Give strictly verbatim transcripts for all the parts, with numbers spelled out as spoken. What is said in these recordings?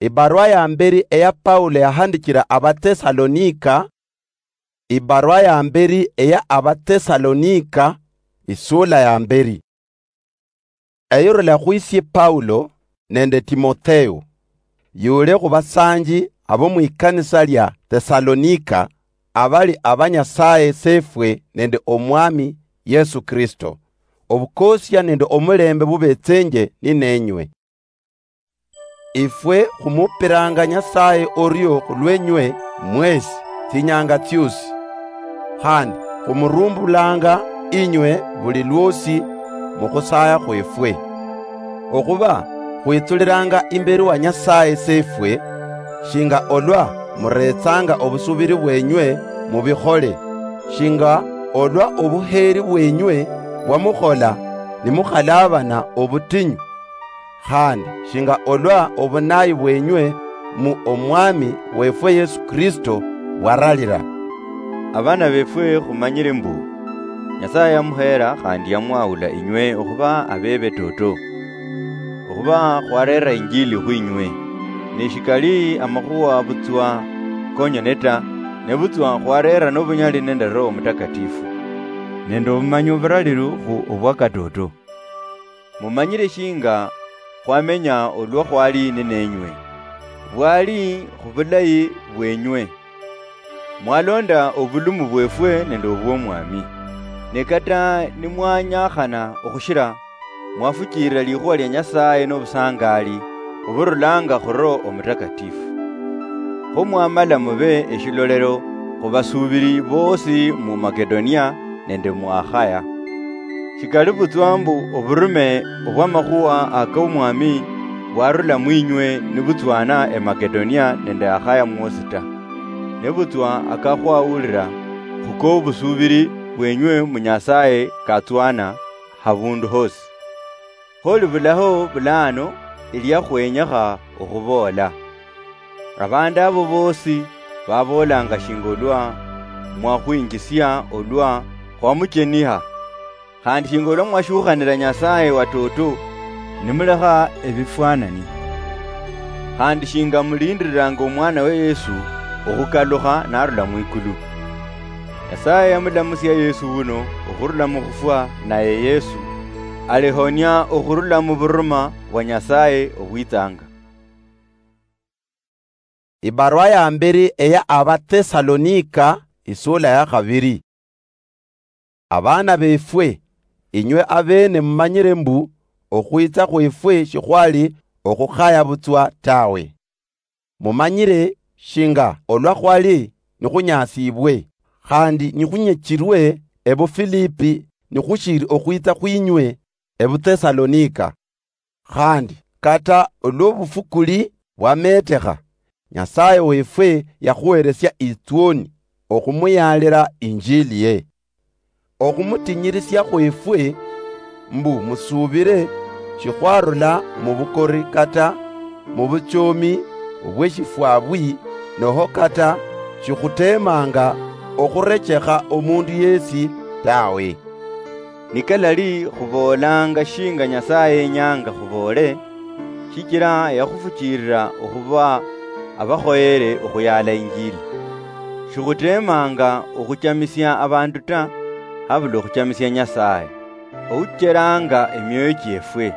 Ibarua ya mberi eya Paulo yahandichira Abatesalonika. Ibarua ya mberi eya Abatesalonika, isula ya mberi. Eyurula khwisie Paulo nende Timotheo, yule khubasanji abo mwikanisa lia Tesalonika, abali aba Nyasaye Sefwe nende Omwami Yesu Kristo. Obukosia nende omulembe bubetsenje ninenywe. Ifwe khumupiranga Nyasaye orio khulwenywe mwesi tsinyanga tsiosi, khandi khumurumbulanga inywe buli lwosi mukhusaya khwefwe. Okhuba khwitsuliranga imberi wa Nyasaye Sefwe, shinga olwa muretsanga obusubiri bwenywe mubikhole, shinga olwa obuheri bwenywe bwamukhola nimukhalabana obutinyu, khandi shinga olwa obunayi bwenywe mu Omwami wefwe Yesu Kristo bwaralira. Abana befwe, khumanyire mbu Nyasaye yamuhera khandi yamwahula inywe okhuba abebe toto, okhuba khwarera injili khwinywe, ne shikali amakhuwa butswa konyene ta, nebutswa khwarera nobunyali nende Roho Mutakatifu, nende obumanyi oburaliru khu obwa katoto. Mumanyire shinga khwamenya olwa khwali ninenywe, bwali khubulayi bwenywe. Mwalonda obulumu bwefwe nende obwomwami. Ne kata nimwanyakhana okhushira, mwafuchirira likhuwa lia Nyasaye nobusangali oburulanga khu Roho Omutakatifu. Kho mwamala mube eshilolero khubasuubiri boosi mu Makedonia nende mu Akhaya. Shikali butswa mbu oburume obw'amakhuwa ak'Omwami bwarula mwinywe nibutswana e Makedonia nende Akhaya mwosi ta, nebutswa akakhwawulira khuk'obusuubiri bwenywe mu Nyasaye katswana habundu hosi. Kho libulaho bulano elia khwenyekha okhuboola. Abandu abo boosi baboolanga shinga olwa mwakhwinjisia olwa khwamucheniha, khandi shinga olwa mwashukhanira Nyasaye watoto, nimulekha ebifwanani, khandi shinga mulindiriranga Omwanawe Yesu okhukalukha narula mwikulu. Nyasaye yamulamusia Yesu wuno okhurula mukhufwa, naye Yesu alihonia okhurula muburuma bwa Nyasaye obwitsanga. Ibarua ya mberi eya Abatesalonika, isula ya khabiri. Abana befwe, inywe abene mumanyire mbu okhwitsa khwefwe shikhwali okhukhaya butswa tawe. Mumanyire shinga olwa khwali nikhunyasibwe, khandi nikhunyechirwe ebuFilipi nikhushiri okhwitsa khwinywe ebuTesalonika. Khandi kata olwobufukuli bwametekha, Nyasaye wefwe yakhuheresia itswoni okhumuyalira injiliye. Okhumutinyirisia khwefwe, mbu musubire, shikhwarula mubukori kata mubuchomi obweshifwabwi, noho kata shikhutemanga okhurechekha omundu yesi tawe. Nikalali khuboolanga shinga Nyasaye yenyanga khuboole, shichira yakhufuchirira okhuba abakhoyere okhuyala injili. Shikhutemanga okhuchamisia abandu ta, habula okhuchamisia Nyasaye, oucheranga emioyo chiefwe.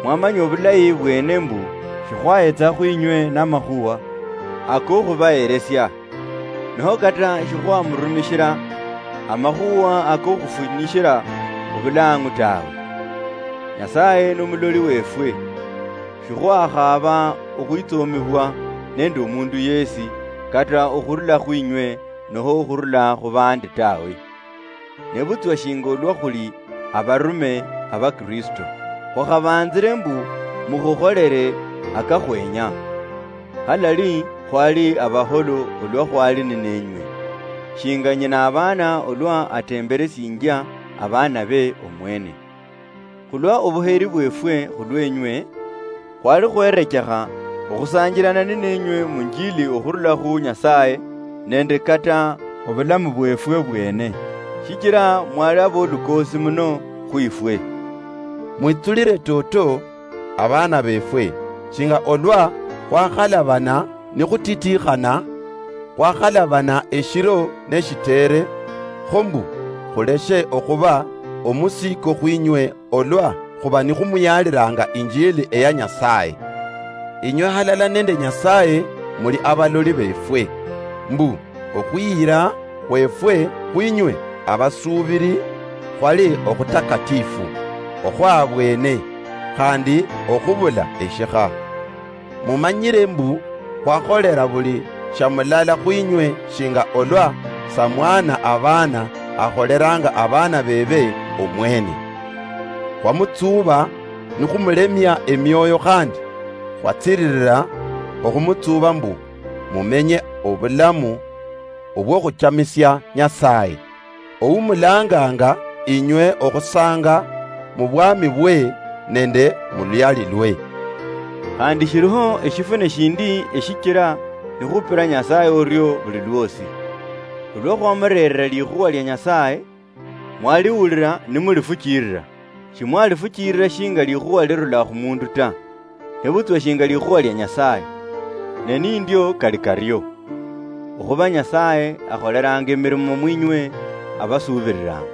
Mwamanya obulayi bwene mbu shikhwayetsa khwinywe namakhuwa akokhubaheresia, noho kata shikhwamurumishira amakhuwa akokhufunyishira obulang'u tawe. Nyasaye nomuloli wefwe, shikhwakhaba okhwitsomibwa nende omundu yesi, kata okhurula khwinywe noho okhurula khubandi tawe. Nebutswa shinga olwa khuli abarume aba Kristo, khwakhabanzire mbu mukhukholere akakhwenya. Halali khwali abaholo olwa khwali ninenywe, shinga nyina abana olwa atemberesinjia abana be omwene. Khulwa obuheri bwefwe khulwenywe, khwali khwerechekha okhusanjirana ninenywe munjili okhurula khu Nyasaye, nende kata obulamu bwefwe bwene, shichira mwali abolukoosi muno khwifwe. Mwitsulire toto, abana befwe, shinga olwa Khwakhalabana nikhutitiikhana, khwakhalabana eshiro neshitere, kho mbu khuleshe okhuba omusiiko khwinywe olwa khuba nikhumuyaalilanga injili eya Nyasaye. Inywe halala nende Nyasaye muli abaloli befwe, mbu okhwiyira khwefwe khwinywe abasuubiri khwali okhutakatifu, okhwabwene, khandi okhubula eshikha. Mumanyire mbu khwakholera buli sha mulala khwinywe shinga olwa samwana abaana akholeranga abaana bebe omwene. Khwamutsuuba nikhumulemia emioyo khandi khwatsiririra okhumutsuuba mbu mumenye obulamu obwokhuchamisia Nyasaye, oumulanganga inywe okhusanga mubwami bwe nende muluyali lwe. Khandi shiliho eshifune shindi eshichila nikhupila Nyasaye orio buli lwosi. Olwa khwamureerera likhuwa lia Nyasaye, mwaliwulila nimulifuchilila. Shimwalifuchilila shinga likhuwa lirula khumundu ta, nebutswa shinga likhuwa lia Nyasaye. Ne nindio kali kario. Okhuba Nyasaye akholelanga emirimo mwinywe abasuubililanga.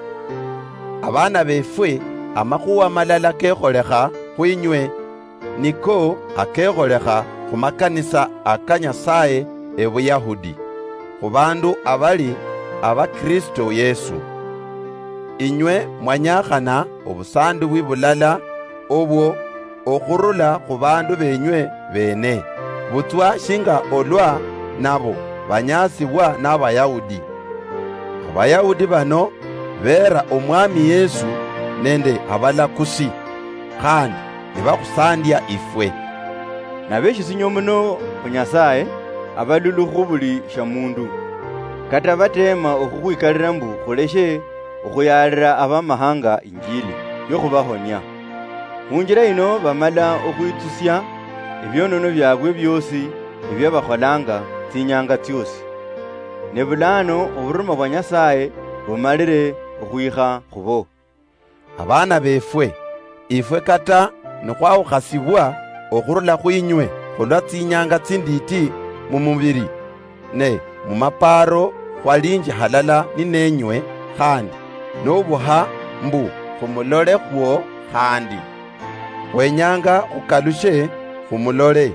Abaana befwe, amakhuwa malala kekholekha khwinywe, niko akekholekha khumakanisa aka Nyasaye e Buyahudi, khubandu abali aba Kristo Yesu. Inywe mwanyakhana obusandibwi bulala obwo okhurula khubandu benywe bene, butswa shinga olwa nabo banyasibwa n'Abayahudi. Abayahudi bano beera Omwami Yesu nende abalakusi, khandi nibakhusandia ifwe. Nabeshisinywe muno khu Nyasaye, abalulu khu buli sha mundu, kata bateema okhukhwikalila mbu khuleshe okhuyaalila abamahanga injili yokhubahonia. Khunjila yino bamala okhwitsusia ebionono biabwe biosi ebia bakholanga tsinyanga tsiosi. Ne bulano oburuma bwa Nyasaye bumalile okhwikha khubo. Abaana befwe, ifwe kata nikhwawukhasibwa okhurula khwinywe khulwa tsinyanga tsinditi mumubili, ne mumapaaro khwalinji halala ninenywe khandi, nobuha mbu khumulolekhwo khandi. Khwenyanga khukalushe khumulole.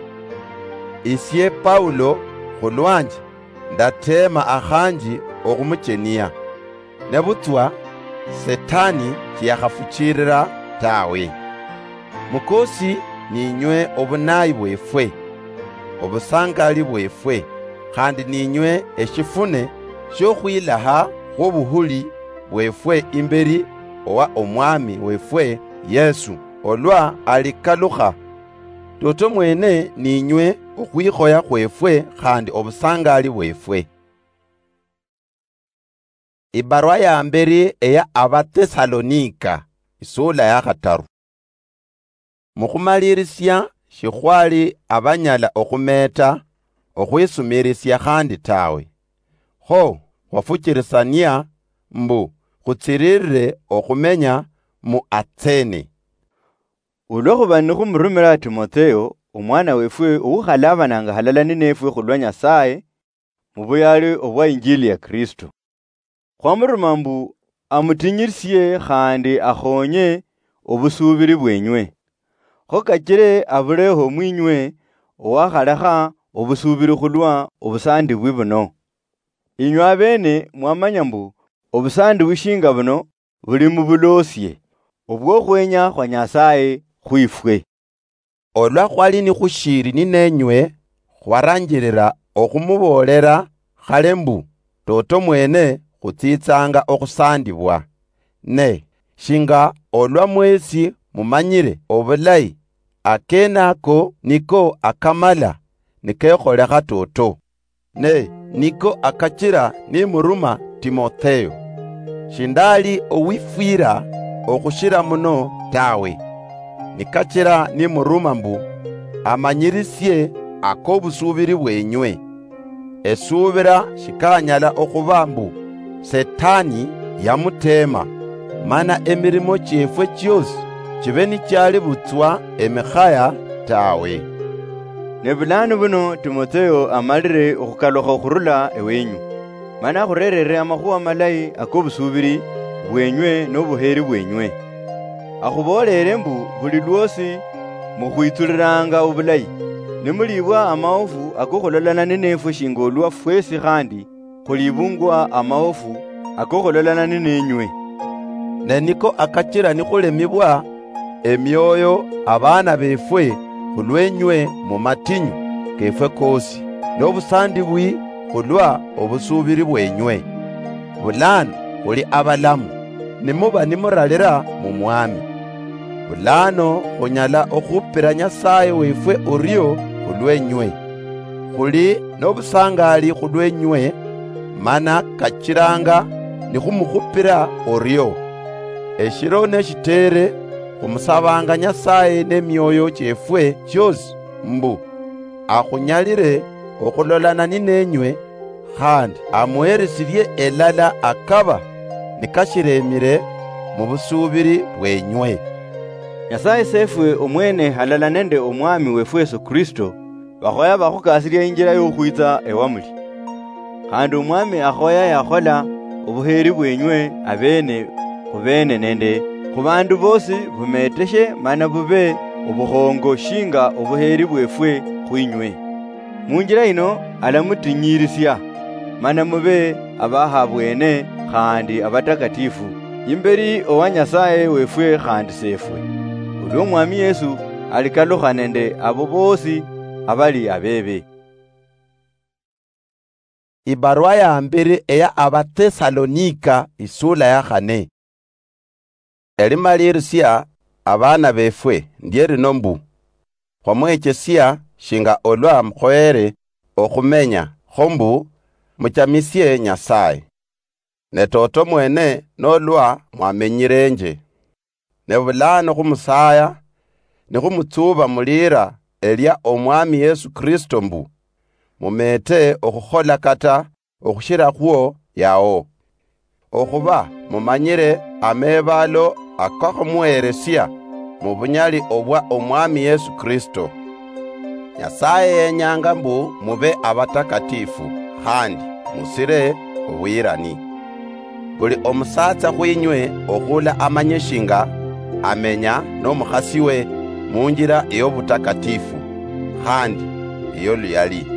Isie Paulo khulwanje ndateema akhanji okhumuchenia. Nebutswa Setani shiyakhafuchilila tawe. Mukosi ninywe obunayi bwefwe, obusangali bwefwe, khandi ninywe eshifune shiokhwilaha khwobuhuli bwefwe imbeli owa Omwami wefwe Yesu, olwa alikalukha. Toto mwene ninywe okhwikhoya khwefwe khandi obusangali bwefwe. Ibarwa ya mberi eya Abatesalonika, isula ya khataru. Mukhumalirisia shikhwali abanyala okhumeeta okhwisumirisia khandi tawe, kho khwafuchirisania mbu khutsiririre okhumenya mu Atsene. Olwokhuba nikhumurumira Timotheo, omwana wefwe oukhalabananga halala ninefwe khulwa Nyasaye, mu buyaali obwa Injili ya Kristo. Khwamuruma mbu amutinyirisie khandi akhonye obusuubiri bwenywe. Kho kachire abuleho mwinywe owakhalekha obusuubiri khulwa obusaandibwi buno. Inywe abeene mwamanya mbu obusaandibwi shinga buno buli mu buloosie obwokhwenya khwa Nyasaye khwifwe. Olwa khwali nikhushiili ninenywe, khwaranjilila okhumuboolera khale mbu, toto mwene khutsitsanga okhusandibwa. Ne shinga olwa mwesi mumanyile obulayi, akene ako niko akamala nikekholekha toto. Ne niko akachila nimuruma Timotheo. Shindali owifwila okhushila muno tawe, nikachila nimuruma mbu amanyirisie akobusubili bwenywe. Esuubila shikanyala okhuba mbu Setani yamuteema, mana emirimo chiefwe chiosi chibe nichiali butswa emikhaya tawe. Ne bulaanu buno Timotheo amalire okhukalukha okhurula ewenyu, mana akhurerere amakhuwa malayi ak'obusuubiri bwenywe nobuheeri bwenywe. Akhuboolere mbu buli lwosi mukhwitsuliranga obulayi, nimuliibwa amaofu akokhulolana ninefwe shinga olwa fwesi khandi khuliibungwa amaofu akokhulolana ninenywe. Ne niko akachira nikhulemibwa emioyo abaana befwe khulwenywe mu matinyu kefwe kosi, nobusandibwi khulwa obusuubiri bwenywe. Bulaano khuli abalamu, nimuba nimuralira mu Mwami. Bulaano khunyala okhupira Nyasaye wefwe orio khulwenywe. Khuli nobusangali khulwenywe, mana kachiranga nikhumukhupira orio. Eshiro neshitere, khumusabanga Nyasaye nemioyo chiefwe chiosi mbu akhunyalire okhulolana ninenywe, khandi amuheresirie elala akaba nikashiremire mu busuubiri bwenywe. Nyasaye Sefwe omwene halala nende Omwami wefwe Yesu Kristo, bakhoya bakhukasiria injira yokhwitsa ewamuli. Khandi Omwami akhoya yakhola obuheeri bwenywe abeene khubeene nende khubandu boosi bumeteshe mana bube obukhongo shinga obuheeri bwefwe khwinywe. Munjira yino alamutinyiirisia, mana mube abahabwene khandi abatakatifu imberi owa Nyasaye wefwe khandi Sefwe, olwa Omwami Yesu alikalukha nende abo boosi abali abebe. Ibarwa ya mbere eya Abatesalonika, isula ya khane. Elimalirisia, abaana befwe, ndie lino mbu, khwamwechesia shinga olwa mukhoyere okhumenya, kho mbu muchamisie Nyasaye. Ne toto mwene nolwa mwamenyirenje. Ne bulaano khumusaya, nikhumutsuba mulira elia Omwami Yesu Kristo mbu, mumete okhukhola kata okhushirakhwo yao. Okhuba mumanyire ameebalo akakhumuheresia mu bunyali obwa Omwami Yesu Kristo. Nyasaye yenyanga mbu mube abatakatifu, khandi musire obuyirani. Buli omusatsa khwinywe okhula amanye shinga amenya nomukhasiwe munjira eyobutakatifu, khandi eyoluyali.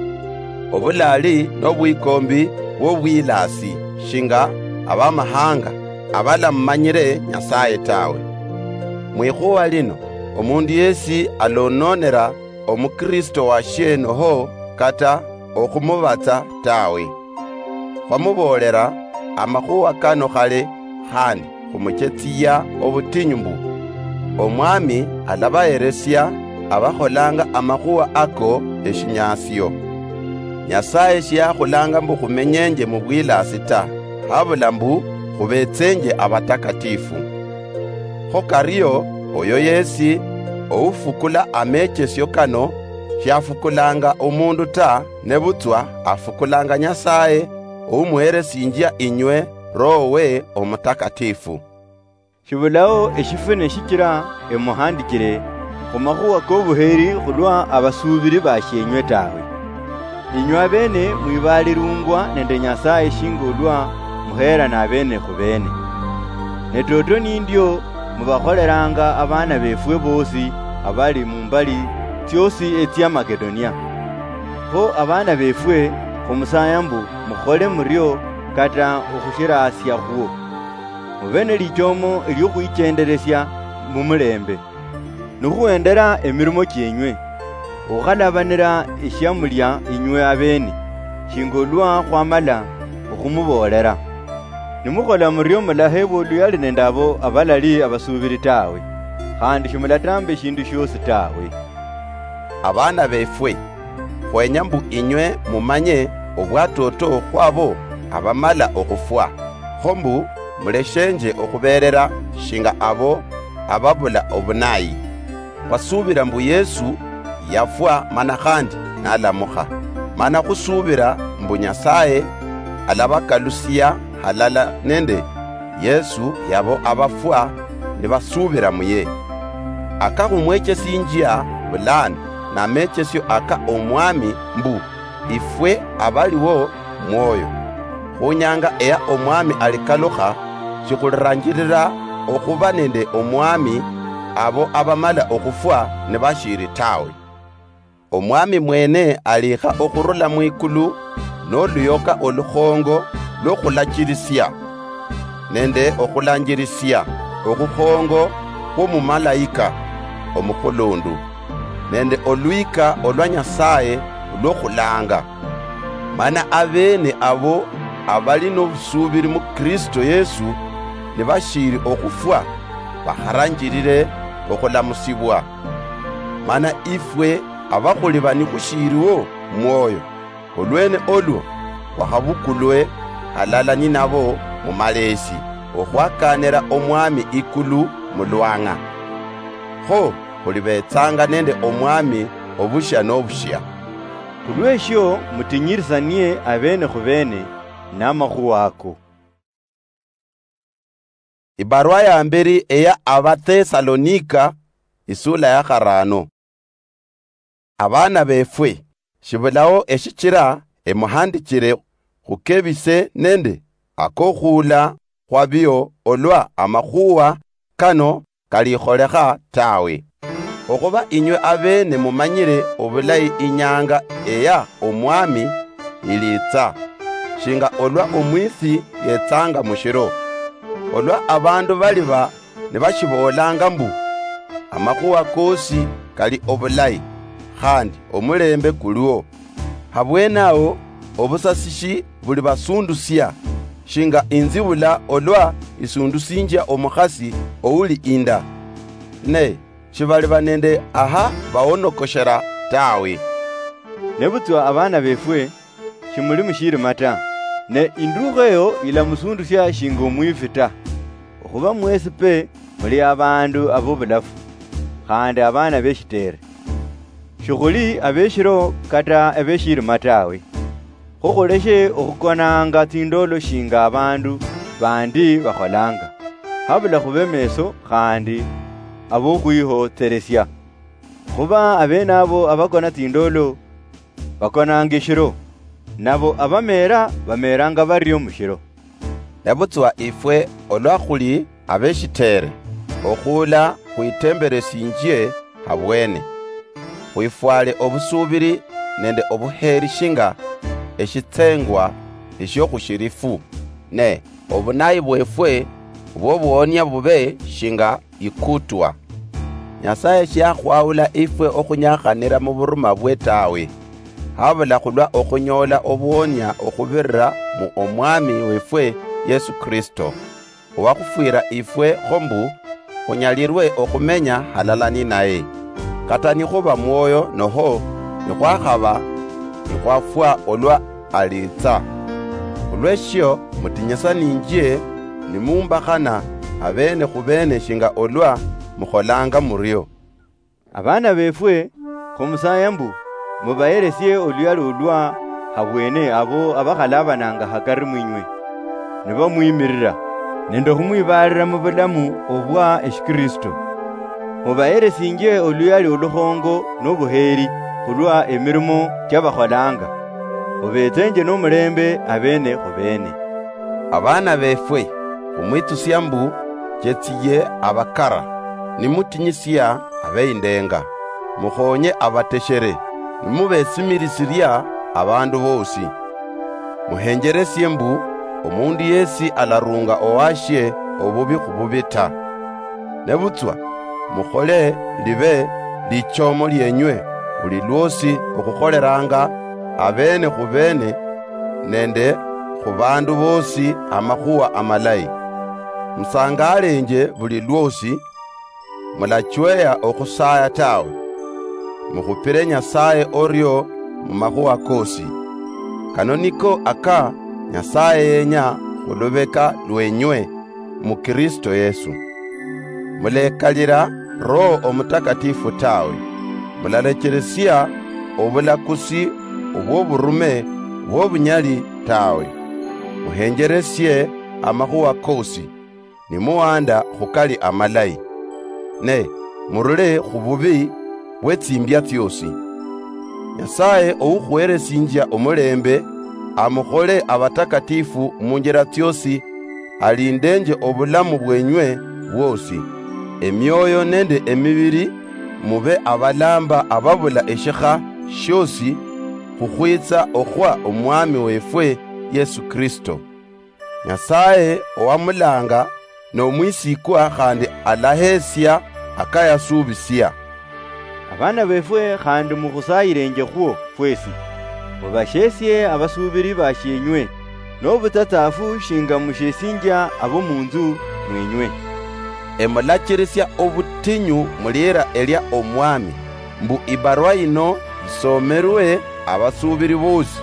Obulali nobwikombi bwobwilasi shinga abamahanga abalamumanyire Nyasaye tawe. Mwikhuwa lino, omundu yesi alononera omukristo washie noho kata okhumubatsa tawe. Khwamuboolera amakhuwa kano khale, khandi khumuchetsia obutinyu mbu, Omwami alabaheresia abakholanga amakhuwa ako eshinyasio. Nyasaye shiyakhulanga mbu khumenyenje mubwilasi ta, habula mbu khubetsenje abatakatifu. Kho kario, oyo yesi oufukula amechesio kano shiafukulanga omundu ta, nebutswa afukulanga Nyasaye oumuheresinjia inywe Roho we Omutakatifu. Shibulao eshifune shichira emuhandichire khumakhuwa kobuheri khulwa abasuubiri bashienywe tawe. Inywe abeene mwibaalirungwa nende Nyasaye shinga olwa muheerana abeene khubeene. Ne toto nindio mubakholeranga abaana befwe boosi abali mumbali tsiosi etsia Makedonia. Kho abaana befwe, khumusaya mbu mukhole murio kata okhushirasiakhwo. Mube nelichomo eliokhwichenderesia mumulembe, nikhuhendera emirimo chienywe, okhalabanira eshiamulia inywe abeene, shinga olwa khwamala okhumuboolera. Nimukhola murio mulahebwa oluyali nende abo abalali abasuubiri tawe, khandi shimulatamba eshindu shiosi tawe. Abaana befwe, khwenya mbu inywe mumanye obwatoto khwabo abamala okhufwa, kho mbu muleshenje okhuberera shinga abo ababula obunayi. Khwasuubira mbu Yesu yafwa mana khandi nalamukha, mana khusuubira mbu Nyasaye alabakalusia halala nende Yesu yabo abafwa nibasuubira muye. Akakhumwechesinjia bulano namechesio aka Omwami mbu, ifwe abaliwo mwoyo. Khunyanga eya Omwami alikalukha, shikhuliranjirira okhuba nende Omwami abo abamala okhufwa nibashiri tawe. Omwami mwene alikha okhurula mwikulu noluyoka olukhongo lwokhulachirisia, nende okhulanjirisia okhukhongo khwomumalayika omukhulundu, nende olwika olwa Nyasaye olwokhulanga. Mana abene abo abali nobusubiri mu Kristo Yesu nibashiri okhufwa, bakharanjirire okhulamusibwa. Mana ifwe abakhuli bani khushiriwo mwoyo, olwene olwo khwakhabukulwe halala ninabo mumaleesi, okhwakanira Omwami ikulu mulwang'a. Kho khulibetsanga nende Omwami obushia nobushia. Khulweshio mutinyirisanie abene khubene namakhuwa ako. Ibarua ya mberi eya Abathesalonika, isula ya kharano. Abana befwe, shibulao eshichira emuhandichire khukebise nende akokhuula khwabio olwa amakhuwa kano kalikholekha tawe. Okhuba inywe abene mumanyire obulayi inyanga eya Omwami ilitsa, shinga olwa omwisi yetsanga mushiro. Olwa abandu baliba nibashiboolanga mbu, amakhuwa kosi kali obulayi, khandi omulembe kuliwo, habwenaho obusasishi buli basundusia, shinga inzibula olwa isundusinjia omukhasi ouli inda. Ne shibaliba nende aha baonokoshera tawe. Nebutswa abana befwe, shimuli mushirima ta, ne indukha eyo ilamusundusia shinga omwifi ta. Okhuba mwesi pe muli abandu abobulafu, khandi abana beshitere. Shikhuli abeshiro kata abeshirima tawe. Kho khuleshe okhukonanga tsindolo shinga abandu bandi bakholanga, habula khube meso khandi abokhwihotseresia. Khuba abene abo abakona tsindolo bakonanga eshiro, nabo abameera bameeranga bario mushiro. Nebutswa ifwe olwa khuli abeshitere, okhuula khwitemberesinjie habwene, khwifwale obusubiri nende obuheri shinga eshitsengwa eshio khushirifu, ne obunayi bwefwe bwobuhonia bube shinga ikutwa. Nyasaye shiakhwaula ifwe okhunyakhanira muburuma bwe tawe, habula khulwa okhunyoola obuhonia okhubirira mu Omwami wefwe Yesu Kristo, owakhufwira ifwe kho mbu khunyalirwe okhumenya halala ninaye, kata nikhuba mwoyo noho nikhwakhaba nikhwafwa olwa aliitsa. Khulweshio mutinyisaninjie nimumbakhana abene khubene shinga olwa mukholanga murio. Abana befwe, khumusaya mbu mubaheresie oluyali olwa habwene abo abakhalabananga hakari mwinywe, nibamwimirira nende okhumwibalira mubulamu obwa eshikristo. Mubaheresinjie oluyali olukhongo nobuheri khulwa emirimo chiabakholanga, obetsenje nomulembe abene khubene. Abana befwe, khumwitsusia mbu chetsiye abakara, nimutinyisia abeindenga, mukhonye abateshere, nimubesimilisiria abandu bosi. Muhenjeresie mbu omundu yesi alarunga owashie obubi khububi ta. Nebutswa mukhole libe lichomo lienywe buli lwosi okhukholeranga abene khubene nende khubandu bosi amakhuwa amalayi. Musangalenje buli lwosi, mulachweya okhusaya tawe. Mukhupire Nyasaye orio mumakhuwa kosi. Kano niko aka Nyasaye yenya khulubeka lwenywe mu Kristo Yesu. Mulekalira Roho Omutakatifu tawe. Mulalecheresia obulakusi obwoburume bwobunyali tawe. Muhenjeresie amakhuwa kosi, nimuhanda khukali amalayi. Ne murule khububi bwetsimbia tsiosi. Nyasaye oukhuheresinjia omulembe, amukhole abatakatifu munjira tsiosi, alindenje obulamu bwenywe bwosi. Emioyo nende emibiri, mube abalamba ababula eshikha shiosi, khukhwitsa okhwa Omwami wefwe Yesu Kristo. Nyasaye owamulanga nomwisikwa khandi alahesia akayasubisia. Abana befwe khandi mukhusayirenjekhwo fwesi, mubashesie abasubiri bashienywe, nobutsatsafu shinga mushiesinjia abo munzu mwenywe. Emulachirisia obutinyu mulira elia Omwami, mbu ibarwa yino yisomerwe abasubiri bosi.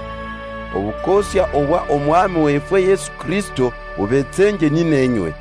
Obukosia obwa Omwami wefwe Yesu Kristo bubetsenje ninenywe.